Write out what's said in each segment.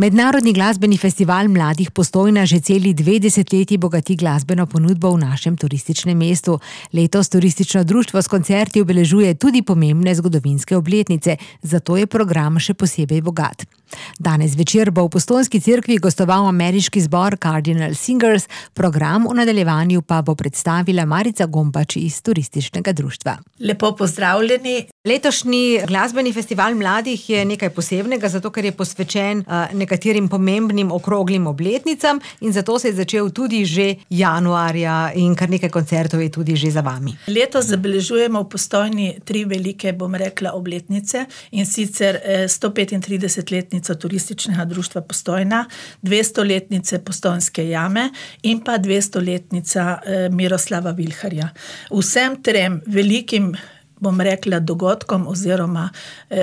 Mednarodni glasbeni festival mladih Postojna že celi 2 desetletji bogati glasbeno ponudbo v našem turističnem mestu. Letos turistično društvo s koncerti obeležuje tudi pomembne zgodovinske obletnice, zato je program še posebej bogat. Danes večer bo v Postojnski cerkvi gostoval ameriški zbor Cardinal Singers, program v nadaljevanju pa bo predstavila Marica Gombač iz turističnega društva. Lepo pozdravljeni. Letošnji glasbeni festival mladih je nekaj posebnega, zato ker je posvečen nekaterim pomembnim okroglim obletnicam in zato se je začel tudi že januarja in kar nekaj koncertov je tudi že za vami. Letos zabeležujemo v Postojni 3 velike, obletnice, in sicer 135-letnico turističnega društva Postojna, 200-letnice Postojnske jame in pa 200-letnica Miroslava Vilharja. Vsem trem velikim dogodkom oziroma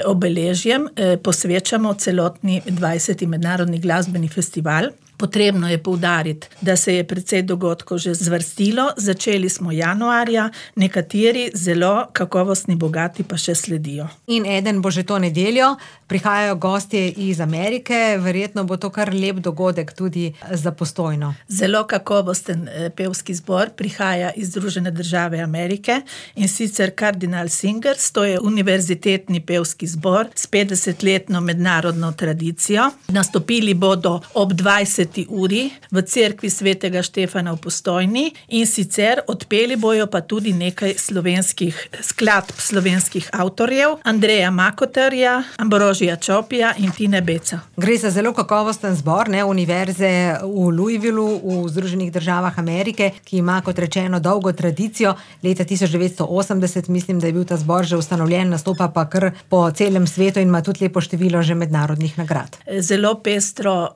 obeležjem posvečamo celotni 20. mednarodni glasbeni festival. Potrebno je poudariti, da se je precej dogodkov že zvrstilo, začeli smo januarja, nekateri zelo kakovostni, bogati pa še sledijo. In eden bo že to nedeljo, prihajajo gostje iz Amerike, verjetno bo to kar lep dogodek tudi za Postojno. Zelo kakovosten pevski zbor prihaja iz Združene države Amerike in sicer Cardinal Singers, to je univerzitetni pevski zbor s 50-letno mednarodno tradicijo. Nastopili bodo ob 20. uri v cerkvi svetega Štefana v Postojni in sicer odpeli bojo pa tudi nekaj slovenskih skladb slovenskih avtorjev, Andreja Makoterja, Ambrožija Čopija in Tine Beca. Gre za zelo kakovosten zbor, univerze v Louisvillu v Združenih državah Amerike, ki ima, kot rečeno, dolgo tradicijo. Leta 1980 mislim, da je bil ta zbor že ustanovljen, nastopa pa kar po celem svetu in ima tudi lepo število že mednarodnih nagrad. Zelo pestro,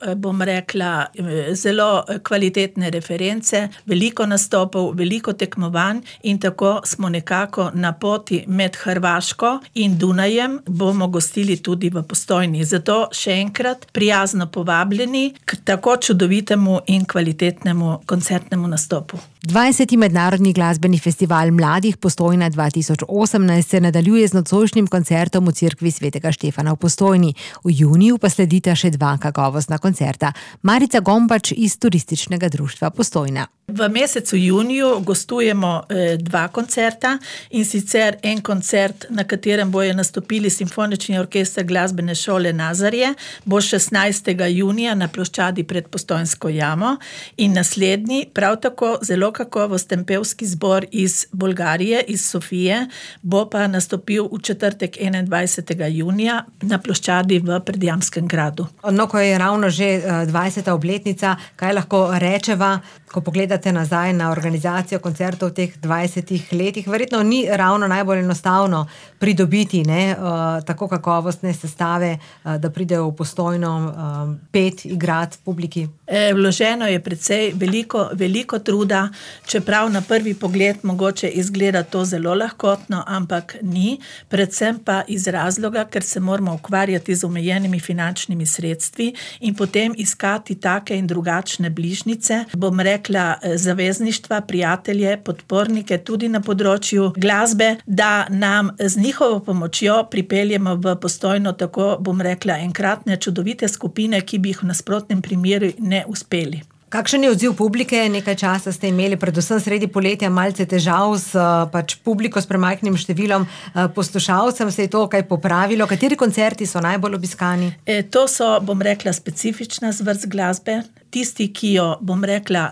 zelo kvalitetne reference, veliko nastopov, veliko tekmovanj in tako smo nekako na poti med Hrvaško in Dunajem, bomo gostili tudi v Postojni. Zato še enkrat prijazno povabljeni k tako čudovitemu in kvalitetnemu koncertnemu nastopu. 20. mednarodni glasbeni festival mladih Postojna 2018 se nadaljuje z nocojšnjim koncertom v cerkvi svetega Štefana v Postojni. V juniju pa sledita še 2 kakovostna koncerta. Marica Gombač iz turističnega društva Postojna. V mesecu juniju gostujemo 2 koncerta in sicer en koncert, na katerem bojo nastopili Simfonični orkester glasbene šole Nazarje, bo 16. junija na ploščadi pred Postojnsko jamo in naslednji, prav tako zelo kakovosten pevski zbor iz Bolgarije, iz Sofije, bo pa nastopil v četrtek 21. junija na ploščadi v Predjamskem gradu. No, ko je ravno že 20. obletnica, kaj lahko rečeva, ko pogledate nazaj na organizacijo koncertov v teh 20 letih, verjetno ni ravno najbolj enostavno pridobiti tako kakovostne sestave, da pridejo v Postojno pet, igrati publiki. Vloženo je precej veliko truda, čeprav na prvi pogled mogoče izgleda to zelo lahkotno, ampak ni, predvsem pa iz razloga, ker se moramo ukvarjati z omejenimi finančnimi sredstvi in potem iskati take in drugačne bližnjice, zavezništva, prijatelje, podpornike tudi na področju glasbe, da nam z njihovo pomočjo pripeljemo v Postojno tako, enkratne čudovite skupine, ki bi jih v nasprotnem primeru ne uspeli. Kakšen je odziv publike? Nekaj časa ste imeli, predvsem sredi poletja, malce težav s publiko, s premajhnim številom poslušalcem. Se je to kaj popravilo? Kateri koncerti so najbolj obiskani? To so, specifična zvrst glasbe. Tisti, ki jo,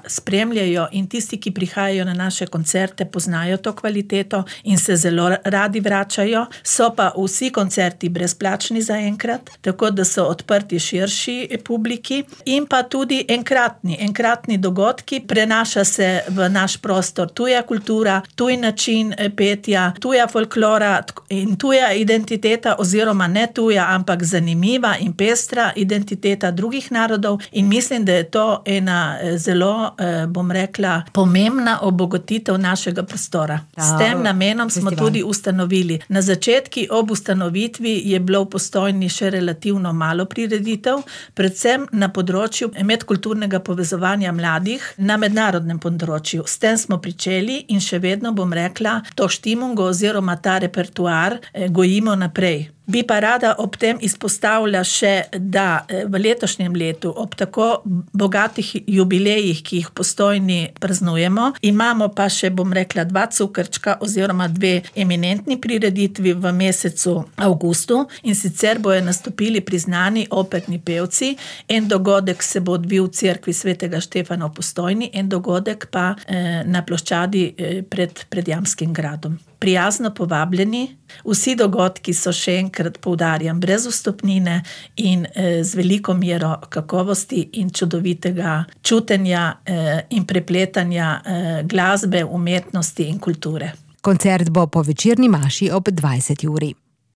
spremljajo in tisti, ki prihajajo na naše koncerte, poznajo to kvaliteto in se zelo radi vračajo. So pa vsi koncerti brezplačni zaenkrat, tako da so odprti širši publiki in pa tudi enkratni dogodki. Prenaša se v naš prostor tuja kultura, tuj način petja, tuja folklora in tuja identiteta oziroma ne tuja, ampak zanimiva in pestra identiteta drugih narodov in mislim, da je to ena zelo, pomembna obogatitev našega prostora. S tem namenom smo tudi ustanovili. Na začetki ob ustanovitvi je bilo v Postojni še relativno malo prireditev, predvsem na področju medkulturnega povezovanja mladih na mednarodnem področju. S tem smo pričeli in še vedno, to štimungo oziroma ta repertoar gojimo naprej. Bi pa rada ob tem izpostavila še, da v letošnjem letu ob tako bogatih jubilejih, ki jih Postojni praznujemo, imamo pa še, bom rekla, 2 cukrčka oziroma 2 eminentni prireditvi v mesecu avgustu, in sicer bojo nastopili priznani operni pevci. En dogodek se bo odvil v cerkvi svetega Štefana v Postojni, en dogodek pa na ploščadi pred Jamskim gradom. Prijazno povabljeni, vsi dogodki so, še enkrat poudarjam, brez vstopnine in z veliko mero kakovosti in čudovitega čutenja in prepletanja glasbe, umetnosti in kulture. Koncert bo po večerni maši ob 20. uri.